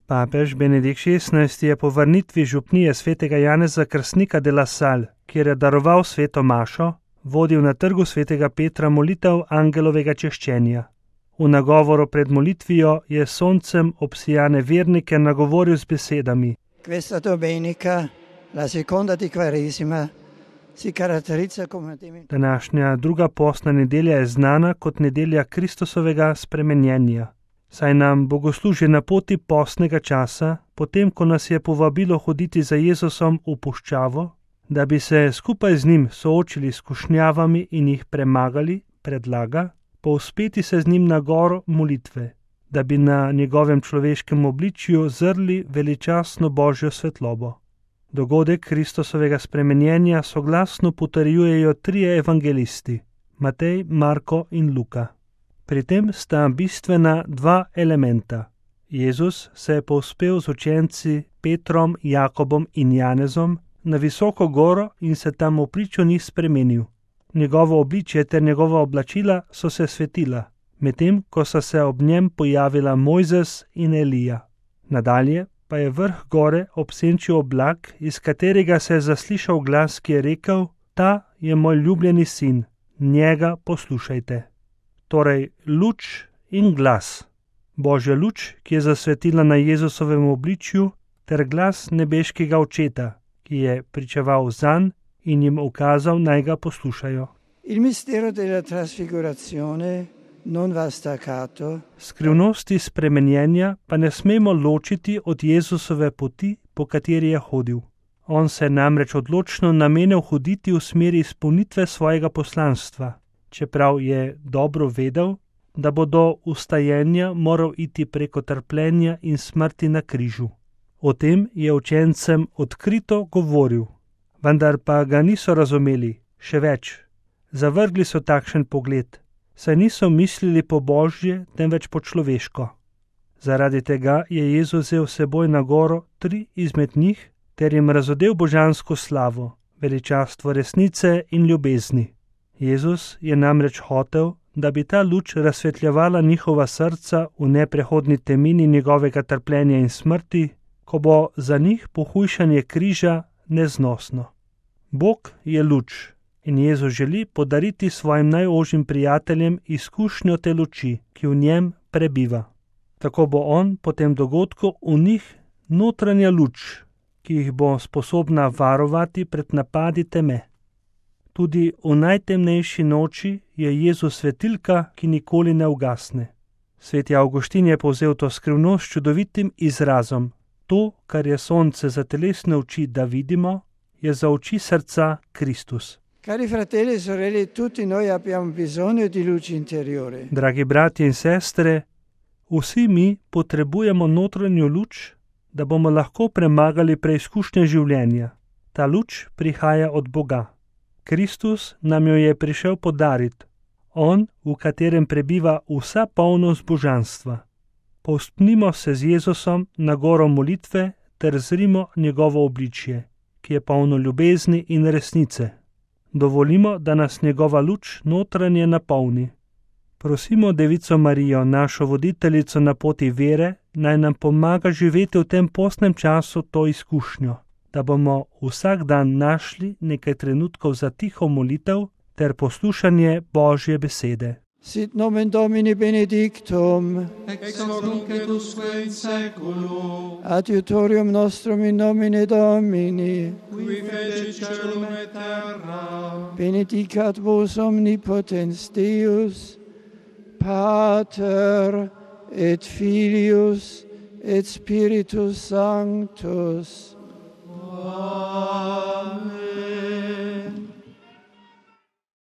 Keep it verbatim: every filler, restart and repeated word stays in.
Papež Benedikt šestnajsti je po vrnitvi župnije svetega Janeza Krstnika de la Salle, kjer je daroval sveto mašo, vodil na trgu svetega Petra molitev angelovega češčenja. V nagovoru pred molitvijo je soncem obsijane vernike nagovoril z besedami: Questa domenica, la seconda di Quaresima, si caratterizza come Današnja druga postna nedelja je znana kot nedelja Kristusovega spremenjenja, saj nam bogoslužje na poti postnega časa, potem ko nas je povabilo hoditi za Jezusom v puščavo, da bi se skupaj z njim soočili s skušnjavami in jih premagali, predlaga, povzpeti se z njim na goro molitve, da bi na njegovem človeškem obličju zrli veličastno Božjo svetlobo. Dogodek Kristusovega spremenjenja soglasno potrjujejo trije evangelisti, Matej, Marko in Luka. Pri tem sta bistvena dva elementa. Jezus se je povzpel z učenci Petrom, Jakobom in Janezom na visoko goro in se tam v pričo njih spremenil. Njegovo obličje ter njegova oblačila so se svetila, medtem ko so se ob njem pojavila Mojzes in Elija. Nadalje pa je vrh gore obsenčil oblak, iz katerega se je zaslišal glas, ki je rekel: Ta je moj ljubljeni sin, njega poslušajte. Torej luč in glas. Božja luč, ki je zasvetila na Jezusovem obličju, ter glas nebeškega očeta, ki je pričeval zanj in jim ukazal, naj ga poslušajo. Il mistero della trasfigurazione non va staccato. Skrivnosti spremenjenja pa ne smemo ločiti od Jezusove poti, po kateri je hodil. On se je namreč odločno namenil hoditi v smeri izpolnitve svojega poslanstva, čeprav je dobro vedel, da bo do ustajenja moral iti preko trpljenja in smrti na križu. O tem je učencem odkrito govoril, vendar pa ga niso razumeli, še več. Zavrgli so takšen pogled, saj niso mislili po Božje, temveč po človeško. Zaradi tega je Jezus vzel seboj na goro tri izmed njih ter jim razodel božansko slavo, veličastvo resnice in ljubezni. Jezus je namreč hotel, da bi ta luč razsvetljevala njihova srca v neprehodni temini njegovega trpljenja in smrti, ko bo za njih pohujšanje križa neznosno. Bog je luč in Jezus želi podariti svojim najožjim prijateljem izkušnjo te luči, ki v njem prebiva. Tako bo on po tem dogodku v njih notranja luč, ki jih bo sposobna varovati pred napadi teme. Tudi v najtemnejši noči je Jezus svetilka, ki nikoli ne ugasne. Sveti Avguštin je povzel to skrivnost s čudovitim izrazom: to, kar je sonce za telesne oči, da vidimo, je za oči srca Kristus. Cari fratelli e sorelle, tutti noi abbiamo bisogno di luce interiore. Dragi bratje in sestre, vsi mi potrebujemo notranjo luč, da bomo lahko premagali preizkušnje življenja. Ta luč prihaja od Boga. Kristus nam jo je prišel podariti, on, v katerem prebiva vsa polnost božanstva. Povzpnimo se z Jezusom na goro molitve ter zrimo njegovo obličje, ki je polno ljubezni in resnice. Dovolimo, da nas njegova luč notranje napolni. Prosimo Devico Marijo, našo voditeljico na poti vere, naj nam pomaga živeti v tem postnem času to izkušnjo, da bomo vsak dan našli nekaj trenutkov za tiho molitev ter poslušanje Božje besede. Sit nomen Domini benedictum, ex hoc nunc et usque in saeculum, adiutorium nostrum in nomine Domini, qui fecit caelum et terra, benedicat vos omnipotens Deus, Pater et Filius et Spiritus Sanctus. Amen.